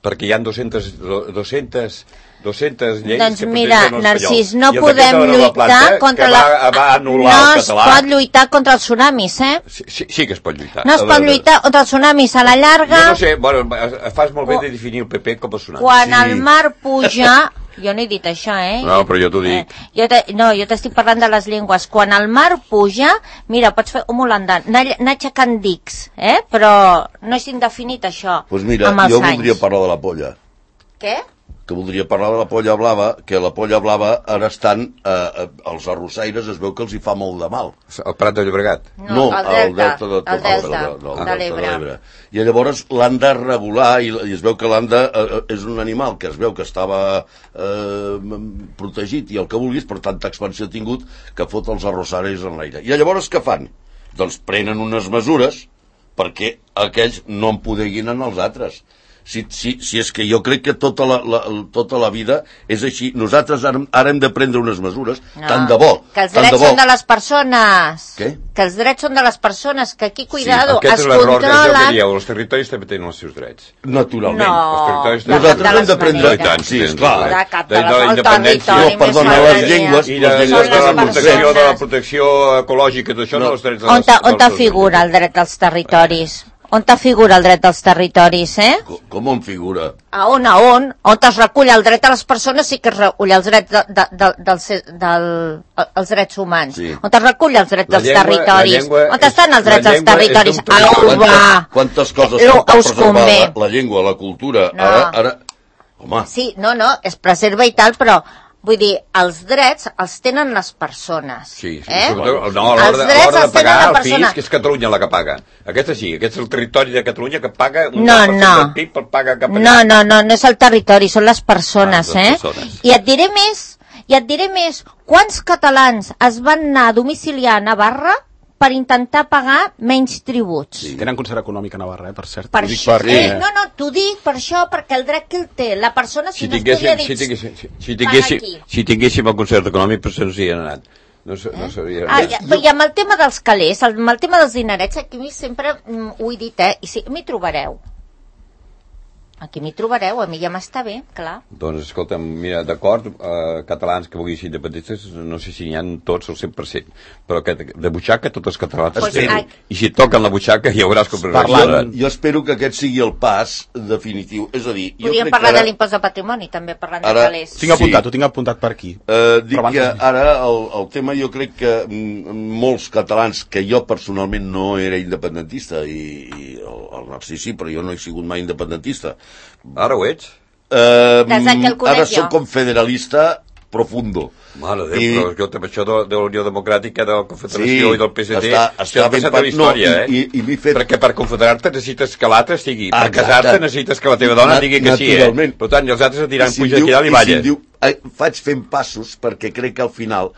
Perquè hi ha dues-centes, dues-centes, dues-centes lleis Doncs que mira, protegen Narcís, l'espanyol. no I el podem decret de la lluitar planta contra que la... va, va anul·lar no el es català. pot lluitar contra els tsunamis, eh? Sí, sí, sí que es pot lluitar. No es A pot veure, lluitar contra els tsunamis a la llarga. Jo no sé, bueno, fas molt bé de definir el P P com a tsunami. Quan Sí. el mar puja... Jo no he dit això, eh? No, però jo t'ho dic. Eh, jo te, no, jo t'estic parlant de les llengües. Quan el mar puja, mira, pots fer un holandà, anar, anar aixecant dics, eh? Però no és indefinit això, Pues mira, amb els jo anys. voldria parlar de la polla. Què? Que voldria parlar de la polla blava, que la polla blava ara estan, eh, eh, els arrossaires es veu que els hi fa molt de mal. El Prat de Llobregat. No, el delta, de, el delta, no, de delta l'Ebre. I llavors l'han de regular i, i es veu que l'han de... Eh, és un animal que es veu que estava eh, protegit i el que vulguis, per tanta expansió ha tingut que fot els arrossaires en l'aire. I llavors què fan? Doncs prenen unes mesures perquè aquells no en podeguin en els altres. Si, si, si és que jo crec que tota la, la, tota la vida és així. Nosaltres ara, ara hem de prendre unes mesures, No, tant de bo. que els tant drets de bo. són de les persones. Què? Que els drets són de les persones, que aquí, cuidado, sí, aquest es és l'error que jo que controlen... dieu. Els territoris també tenen els seus drets. Naturalment. No, Els territoris de Nosaltres cap de hem les de prendre- maneres. I tant, Sí, sí, esclar. sí. De cap De- de de les- la el independència. territori No, perdona, més les sobrania. llengües- I les de, llengües de, Són de, les la protecció, de la persones. protecció ecològica, d'això, No. dels drets On dels, ta, on ta dels- figura el dret dels territoris? On ta figura el dret dels territoris, eh? Com, com en figura? A on, a on? On es recull el dret a les persones sí que es recull els drets, de, de, de, del, del, els drets humans. Sí. On es recull els drets La dels llengua- territoris? la llengua On és- estan els la drets dels llengua és territoris? d'un tot. Au, va! Quantes, quantes coses Lo- cal us preservar convé. la, la llengua, la cultura? No. Ara, ara... Home, Sí, no, no, es preserva i tal, però Vull dir, els drets els tenen les persones. Sí, sí. Eh? No, a l'hora de, de pagar el fisc, que és Catalunya la que paga. Aquesta sí, aquest és el territori de Catalunya que paga un no, no. del P I B per pagar cap allà. No, no, no, no és el territori, són les persones, ah, les eh? Persones. I et diré més, i et diré més, quants catalans es van anar a domiciliar a Navarra per intentar pagar menys tributs? Sí. Tenen concert econòmic a Navarra, eh, per cert. Per això, perquè... eh, no, no, t'ho dic per això, perquè el dret que el té, la persona si, si no estudia dits... Si tinguéssim, si, si, tinguéssim, si tinguéssim el concert econòmic, però se'ns hi ha anat. No, eh? no sabia... Ah, i, I amb el tema dels calés, amb el tema dels dinerets, aquí sempre mm, ho he dit, eh, i sí, m'hi trobareu. Aquí m'hi trobareu, a mi ja m'està bé, clar. Doncs, escolta'm, mira, d'acord, eh, catalans que vulguin ser independentistes, no sé si n'hi ha tots el cent per cent, però que, de butxaca tots els catalans pues, tenen. I si toquen la butxaca ja veuràs com... Parlant, jo espero que aquest sigui el pas definitiu, és a dir... Podríem parlar ara... de l'impost de patrimoni, també, parlant ara, de calés. Tinc apuntat, sí. Ho tinc apuntat per aquí. Uh, dic que ara el, el tema, jo crec que molts catalans, que jo personalment no era independentista, i, i el, el Narcís sí, però jo no he sigut mai independentista. Ara ho ets? Uh, ara soc com federalista profundo. Mare Déu, I... però jo també això de, de la Unió Democràtica, de la Confederació sí, i del P S D, està, està ben per la història, no, eh? I, i, i fet... Perquè per confederar-te necessites que l'altre estigui, per casar-te necessites que la teva dona digui que sí, eh? Per tant, i els altres et diran, si puja aquí dalt i balles. Si diu, eh, faig fent passos perquè crec que al final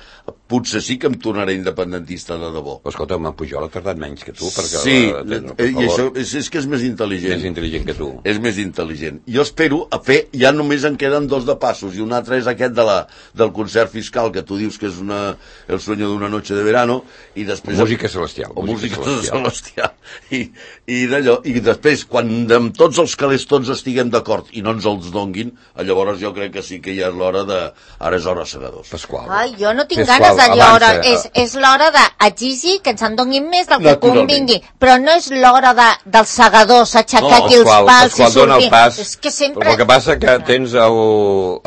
potser sí que em tornaré independentista de debò. Però escolta, en Pujol ha tardat menys que tu, perquè... Sí, la, tens, eh, i això és, és que és més intel·ligent. Més intel·ligent que tu. És més intel·ligent. Jo espero a fer, ja només en queden dos de passos, i un altre és aquest de la, del concert fiscal, que tu dius que és una, el sueño d'una noche de verano, i després... Música celestial. O música, música celestial. I, i d'allò, i després, quan amb tots els calés tots estiguem d'acord i no ens els donguin, llavors jo crec que sí que ja és l'hora de... Ara és hora segadors. Pasqual. Ai, jo no tinc Pasqual, ganes d'allò hora. És, és l'hora d'exigir que ens en donin més del que convingui. Però no és l'hora de, dels segadors, aixecar no, aquí els pals Pasqual, i sortir. Pas, és que sempre... Però el que passa que tens el,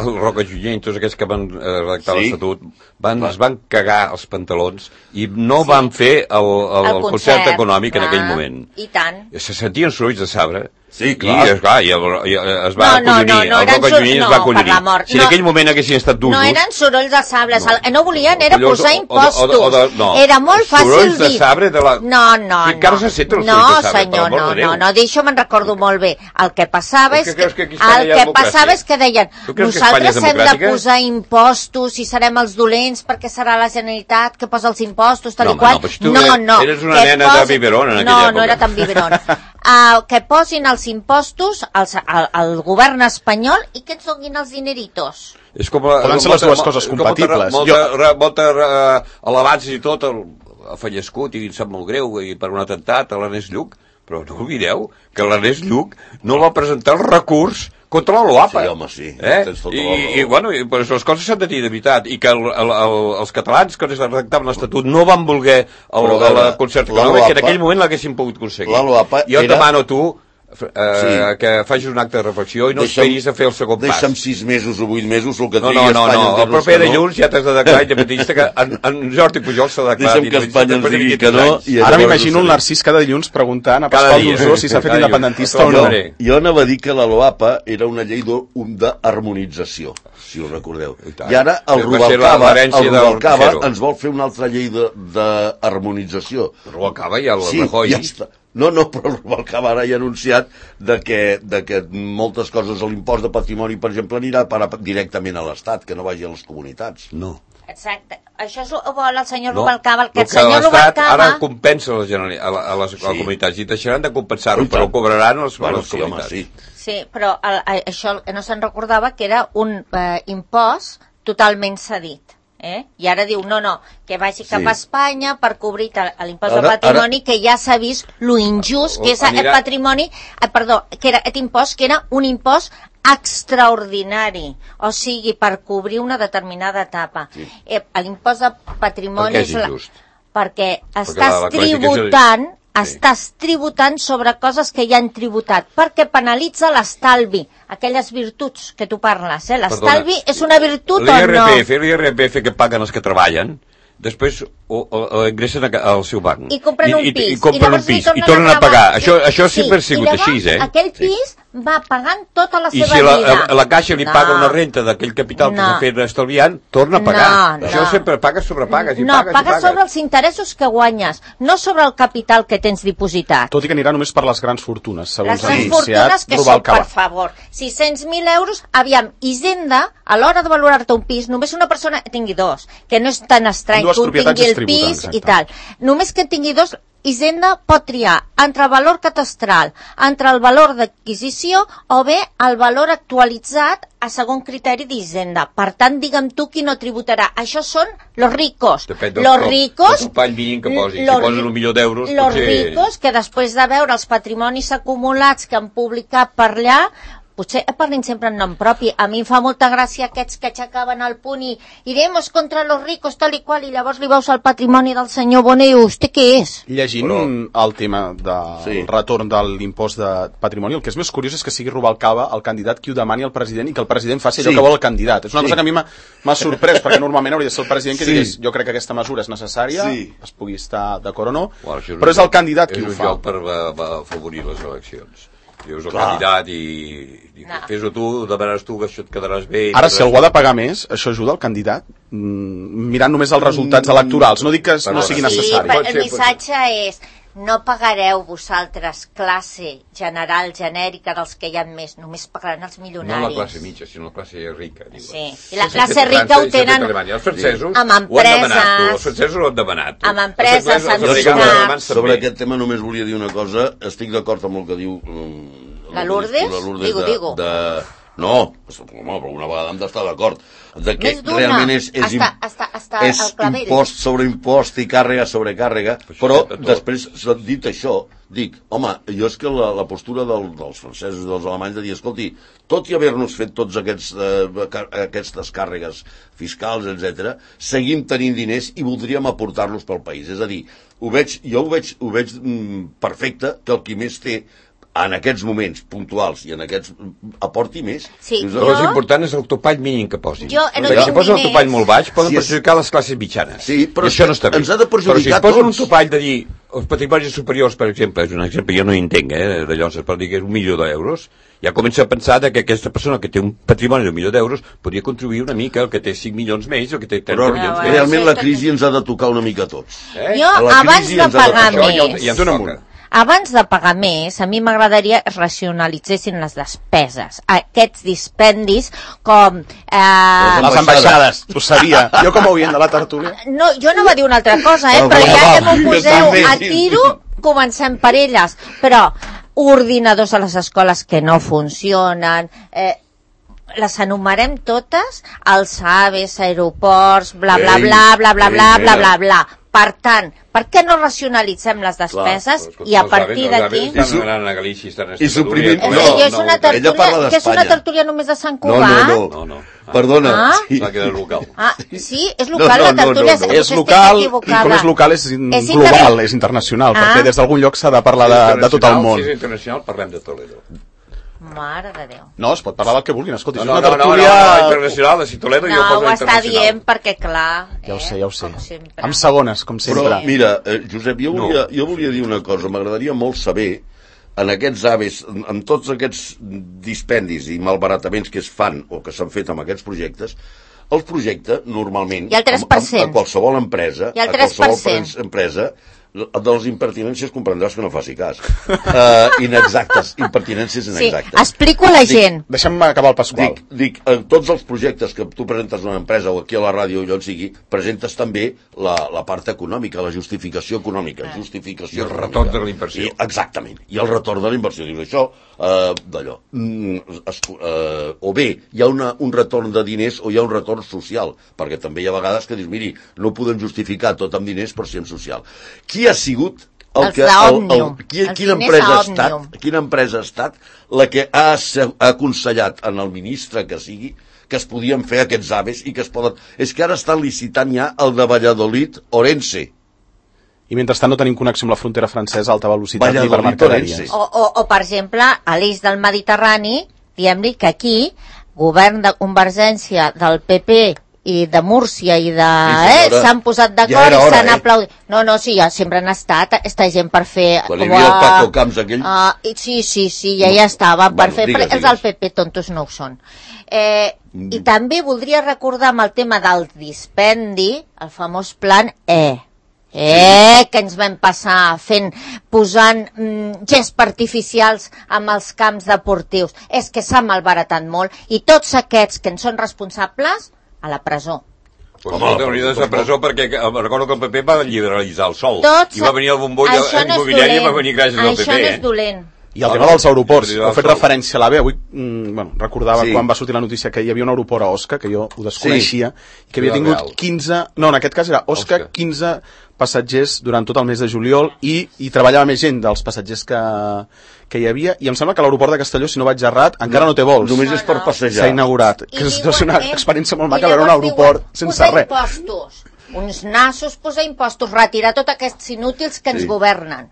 el Roca Junyent, tots aquests que van eh, redactar sí? l'Estatut, van, es van cagar els pantalons i no sí. van fer el, el, el, el concert econòmic clar. En aquell moment. I tant. Se sentien sorolls de sabre. Sí, clar. I, esclar, i, el, i es va no, acollonir, no, no, el Roca Junyent no, es va acollonir. Si en no, aquell moment haguessin estat d'usos... No eren sorolls de sabre, no, no volien, era Collons, posar impostos. O, o, o de, no. Era molt fàcil sorolls dir... de sabre de la... No, no, que encara se senten els no, sorolls de sabre, senyor, no, no, no, d'això me'n recordo molt bé. El que passava és que, que, que el que passava és que deien nosaltres hem de posar impostos i serem els dolents perquè serà la Generalitat que posa els impostos, tal i qual. No, no. Eres una nena de biberón en aquella època. No, no era tan biberón. Uh, que posin els impostos als, al, al govern espanyol i que ens donin els dineritos. És com la, poden ser les dues coses compatibles. Molta, molta, molta uh, elevats i tot, el, el fallascut, i em sap molt greu, i per un atemptat a l'Ernest Lluch, però no oblideu que l'Ernest Lluch no va presentar el recurs contra la LOAPA. Sí, home, sí. Eh? Tota I, i, bueno, i, pues, les coses s'han de dir de veritat. I que el, el, el, els catalans que redactaven l'Estatut no van voler el, el, el concert econòmic, que en aquell moment l'haguessin pogut aconseguir. Jo et demano a tu eh, sí. que facis un acte de reflexió i no deixa'm, esperis a fer el segon pas. Deixa'm sis mesos o vuit mesos el que no, trigui no, no, Espanya. No, no, el proper de dilluns ja t'has de declarar independentista, que en, en Jordi Pujol s'ha declarat independentista. Deixa'm que Espanya ens digui que no. Ara m'imagino un Narcís cada dilluns preguntant a Pasqual Dusó si s'ha fet independentista o no. Jo anava a dir que la LOAPA era una llei d'harmonització, si ho recordeu. I ara el Rubalcaba, el Rubalcaba ens vol fer una altra llei d'harmonització. El Rubalcaba i el Rajoy. Ja està. No, no, però el Rubalcaba ara ja ha anunciat de que, de que moltes coses, l'impost de patrimoni, per exemple, anirà a directament a l'Estat, que no vagi a les comunitats. No. Exacte. Això és ho vol el senyor no, Rubalcaba. El que el, que senyor Rubalcaba... Ara compensa a les, a les, a les sí. comunitats i deixaran de compensar-ho, però ho cobraran a les, bueno, a les sí, comunitats. Home, sí. sí, però el, això no se'n recordava que era un eh, impost totalment cedit. Eh? I ara diu, no, no, que vagi cap sí. a Espanya per cobrir l'impost de patrimoni, ara... que ja s'ha vist lo injust que és aquest patrimoni, eh, perdó, que era aquest impost, que era un impost extraordinari, o sigui, per cobrir una determinada etapa. Sí. Eh, l'impost de patrimoni... Per què és injust? La... Perquè estàs la, la tributant... Sí. Estàs tributant sobre coses que ja han tributat, perquè penalitza l'estalvi, aquelles virtuts que tu parles, eh? L'estalvi és una virtut o no? L'I R P F, l'I R P F que paguen els que treballen, després o, o, o ingressen al seu banc. I compren un I, pis. I, i compren un pis, i tornen a pagar. Això, això sempre ha sigut així, eh? Aquell pis va pagant tota la I seva si la, vida. la, la Caixa li no. paga una renta d'aquell capital no. que s'ha fet estalviant, torna a pagar. No, Això no. sempre pagues sobre pagues i no, pagues pagues i pagues. sobre els interessos que guanyes, no sobre el capital que tens dipositat. Tot i que anirà només per les grans fortunes, segons Les ha grans anunciat fortunes que són, Rubalcaba. per favor, sis-cents mil euros, aviam, Hisenda, a l'hora de valorar-te un pis, només una persona tingui dos, que no és tan estrany Dues que un propietats tingui es el tributen, pis exacte. i tal. Només que en tingui dos, Hisenda pot triar entre el valor catastral, entre el valor d'adquisició o bé el valor actualitzat a segon criteri d'Hisenda. Per tant, digue'm tu qui no tributarà. Això són los ricos. Depèn del los cop, ricos, del topall mínim que posis. los, Si posen un milió d'euros, los potser... ricos que després de veure els patrimonis acumulats que han publicat per allà, potser parlin sempre en nom propi. A mi em fa molta gràcia aquests que aixecaven el punt i iremos contra los ricos tal i qual, i llavors li veus el patrimoni del senyor Bonet i vostè què és? Llegint Però... el tema del Sí. retorn de l'impost de patrimoni, el que és més curiós és que sigui Rubalcaba el candidat qui ho demani al president i que el president faci allò Sí. que vol el candidat. És una Sí. cosa que a mi m'ha m'ha sorprès, perquè normalment hauria de ser el president que Sí. digués jo crec que aquesta mesura és necessària, Sí. es pugui estar d'acord o no, Bueno, això però és el candidat qui és ho un fa. joc per, per, per afavorir les eleccions. Dius el Clar. candidat i, i No. fes-ho tu, demanaràs tu que això et quedaràs bé. i Ara, quedaràs si algú ha de pagar més, això ajuda el candidat? Mm, mirant només els resultats electorals. No dic que no Perdona. sigui Sí, necessari. però Pot el ser, missatge és no pagareu vosaltres classe general, genèrica dels que hi ha més, només pagaran els No milionaris. la classe mitja, sinó la classe rica. Diuen. Sí. I la Això s'ha classe fet a rica França ho i s'ha fet a tenen Alemanya. Els francesos amb ho han demanat, tu. empreses. Els francesos ho han demanat. tu. Amb empreses, Els anglesos, els amb americans, societats. els alemans Sobre també. aquest tema només volia dir una cosa. Estic d'acord amb el que diu... um, La Lourdes? La Lourdes Digo, de, digo. De... No, home, però una vegada hem d'estar d'acord. De que Més d'una. realment és, és, Està- està- està és al clavell. impost sobre impost i càrrega sobre càrrega, Això però és tot. després, dit això, dic, home, jo és que la, la postura del, dels francesos i dels alemanys de dir, escolti, tot i haver-nos fet tots aquests, eh, car aquestes càrregues fiscals, etcètera, seguim tenint diners i voldríem aportar-los pel país. És a dir, ho veig, jo ho veig, ho veig mm, perfecte que el qui més té en aquests moments puntuals i en aquests aporti més. Sí, Dius, Però jo- és important és el topall mínim que posin. Jo no Perquè tinc si posen el diners. topall molt baix poden Sí, és- perjudicar les classes mitjanes. Sí, però I això no està bé. ens ha de perjudicar però si es posen tots. un topall de dir els patrimonis superiors, per exemple, és un exemple, jo no hi entenc, eh, d'allò es pot dir que és un milió d'euros, ja comença a pensar de que aquesta persona que té un patrimoni d'un milió d'euros podria contribuir una mica, el que té cinc milions més, el que té trenta Però milions Ah, més. realment sí, la tot- crisi ens ha de tocar una mica a tots. Eh? Jo, A la abans crisi de ens ha de pagar tocar. Això ja, més, ja ens toca. abans de pagar més, a mi m'agradaria que racionalitzessin les despeses. Aquests dispendis com... Eh, Les ambaixades, ho sabia. Jo com a oient de la tertúlia. no, jo no va dir una altra cosa, eh? Ah, però va, ja va, que m'ho jo poseu també, a sí. tiro, comencem per elles. Però ordinadors a les escoles que no funcionen... Eh, les enumerem totes, els aves, aeroports, bla, bla, Ei, bla, bla, bla, ei, bla, bla, mira. bla, bla. Per tant, per què no racionalitzem les despeses Però, i a partir d'aquí... Els avis estan anant a Galícia, estan a I suprimint- És No, que jo és una ella tertúlia, parla que és una d'Espanya. tertúlia només de Sant No, Cugat. no, no. No, no. Perdona. Ah? Sí. Va quedar local. Ah, sí, és No, local no, la no, tertúlia, no, no. potser És estic local, i equivocada. com és local és, in- És global, inter- és internacional, Ah. perquè des d'algun lloc s'ha de parlar de, de tot el món. Si és internacional, parlem de Toledo. Mare de Déu. No, es pot parlar del que vulguin, escolti, No, és no, una no, no, no, tertúlia... no, internacional, de si Toledo jo No, poso ho està internacional. dient perquè, clar... Ja ho sé, ja ho sé. Com sempre. Amb segones, com sempre. Però, mira, eh, Josep, jo No. volia, jo volia dir una cosa. M'agradaria molt saber, en aquests aves, en, en tots aquests dispendis i malbarataments que es fan o que s'han fet amb aquests projectes, el projecte, normalment, I el tres per cent. a, a qualsevol empresa, I el a tres per qualsevol cent. pre- empresa, de les impertinències comprendràs que no faci cas. Uh, inexactes, impertinències Sí, inexactes. explico a la gent. Deixa'm acabar el Pasqual. Dic, dic, en tots els projectes que tu presentes a una empresa o aquí a la ràdio o allò on sigui, presentes també la, la part econòmica, la justificació econòmica, justificació I el econòmica. retorn de la inversió. I, exactament, i el retorn de la inversió. Dius això, eh, d'allò. Mm, es, eh, o bé hi ha una, un retorn de diners o hi ha un retorn social, perquè també hi ha vegades que dius, miri, no podem justificar tot amb diners per si en social. Qui ha sigut el Els que, el, d'Òmnium. el, qui, Els quina, diners empresa a ha estat, Òmnium. quina empresa ha estat la que ha, asse- ha aconsellat en el ministre que sigui que es podien fer aquests aves i que es poden... És que ara estan licitant ja el de Valladolid Orense. I mentrestant no tenim connexió amb la frontera francesa a alta velocitat ni per Valladolid, mercaderies. Orense. O, o, o per exemple, a l'eix del Mediterrani, diguem-li que aquí, govern de convergència del P P i de Múrcia i de... Sí, eh, senyora. s'han posat Ja d'acord era i hora, s'han eh? aplaudit. No, no, sí, ja sempre han estat esta gent per fer... Quan hi havia el Paco Camps aquell... Uh, sí, sí, sí, ja ja estaven per Bueno, fer... digues, però els digues. del P P tontos no ho són. Eh, I també voldria recordar amb el tema del dispendi, el famós plan E. Eh, que ens vam passar fent, posant mm, gesps artificials amb els camps deportius. És que s'ha malbaratat molt i tots aquests que en són responsables, a la presó. Pues no, hauria de ser presó perquè eh, recordo que el P P va liberalitzar el sol Tots, i va venir el bombolla això no és immobiliari i va dolent. venir gràcies al P P. Això no és eh? dolent. I el tema dels aeroports, Sí, heu fet sol. referència a l'AVE, avui mm, bueno, recordava Sí. quan va sortir la notícia que hi havia un aeroport a Osca, que jo ho desconeixia, i que havia Ciudad tingut Real. quinze, no, en aquest cas era Osca, Osca. quinze passatgers durant tot el mes de juliol i hi treballava més gent dels passatgers que, que hi havia, i em sembla que l'aeroport de Castelló, si no vaig errat, encara no té vols. Només No, és per no. passejar. S'ha inaugurat, I que és, diuen, és una eh, experiència molt i maca veure un llavors aeroport diuen, sense posar res. impostos, uns nassos, posar impostos, retirar tots aquests inútils que ens Sí. governen.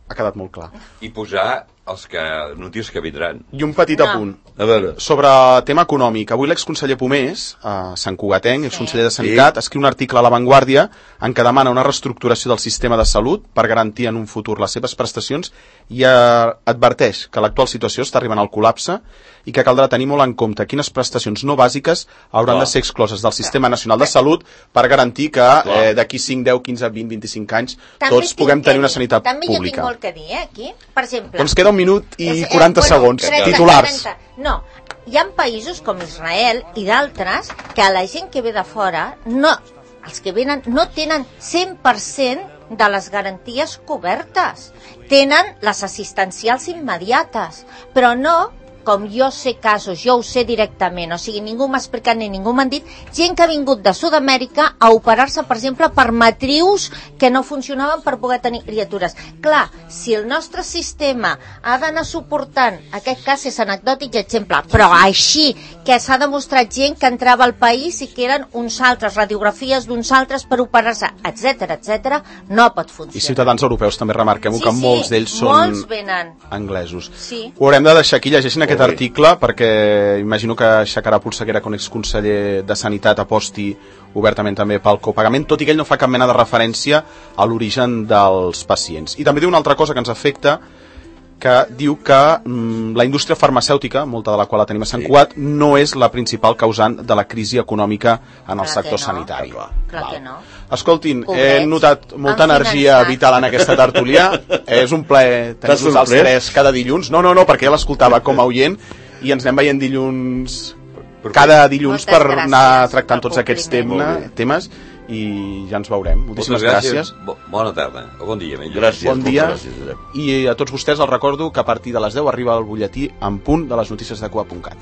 Ha quedat molt clar. I posar els que notícies que vindran. I un petit No. apunt. A veure, Sobre tema econòmic, avui l'exconseller Pomés, eh, Sant Cugatenc, exconseller de Sanitat, Sí. escriu un article a La Vanguardia en què demana una reestructuració del sistema de salut per garantir en un futur les seves prestacions i eh, adverteix que l'actual situació està arribant al col·lapse i que caldrà tenir molt en compte quines prestacions no bàsiques hauran Clar. de ser excloses del Sistema Nacional de Salut per garantir que eh, d'aquí cinc, deu, quinze, vint, vint-i-cinc anys També tots tinc puguem que tenir una dir- sanitat també jo tinc pública. molt que dir, eh, aquí. Per exemple... Doncs queda un minut i És- eh, quaranta bueno, segons. trenta, Titulars. trenta. No, hi ha països com Israel i d'altres que a la gent que ve de fora, no, els que venen no tenen cent per cent de les garanties cobertes. Tenen les assistencials immediates, però no, com jo sé casos, jo ho sé directament, o sigui, ningú m'ha explicat ni ningú m'ha dit, gent que ha vingut de Sud-amèrica a operar-se, per exemple, per matrius que no funcionaven per poder tenir criatures. Clar, si el nostre sistema ha d'anar suportant, aquest cas és anecdòtic exemple, però així que s'ha demostrat gent que entrava al país i que eren uns altres, radiografies d'uns altres per operar-se, etc etc, no pot funcionar. I ciutadans europeus també remarquem Sí, que sí, molts d'ells són molts venen. anglesos. Sí. Ho haurem de deixar aquí, llegeixin aquest Molt bé. article perquè imagino que aixecarà polseguera que un exconseller de Sanitat aposti obertament també pel copagament, tot i que ell no fa cap mena de referència a l'origen dels pacients. I també diu una altra cosa que ens afecta, que diu que mm, la indústria farmacèutica, molta de la qual la tenim a Sant Cugat, no és la principal causant de la crisi econòmica en el Clar sector que no. sanitari. Clar que no. Escoltin, he Pobrets. notat molta Han energia finançat. vital en aquesta tertúlia. És un plaer T'has tenir-vos els sorprès? tres cada dilluns. No, no, no, perquè ja l'escoltava com a oient i ens anem veient dilluns, cada dilluns Moltes per anar gràcies tractant pel tots aquests compliment. tema, temes i ja ens veurem. Moltíssimes gràcies. Bo, bona tarda, o bon dia. Millor. gràcies. Bon dia. moltes Gràcies, Josep. I a tots vostès els recordo que a partir de les deu arriba el butlletí en punt de les notícies de Cugat punt cat.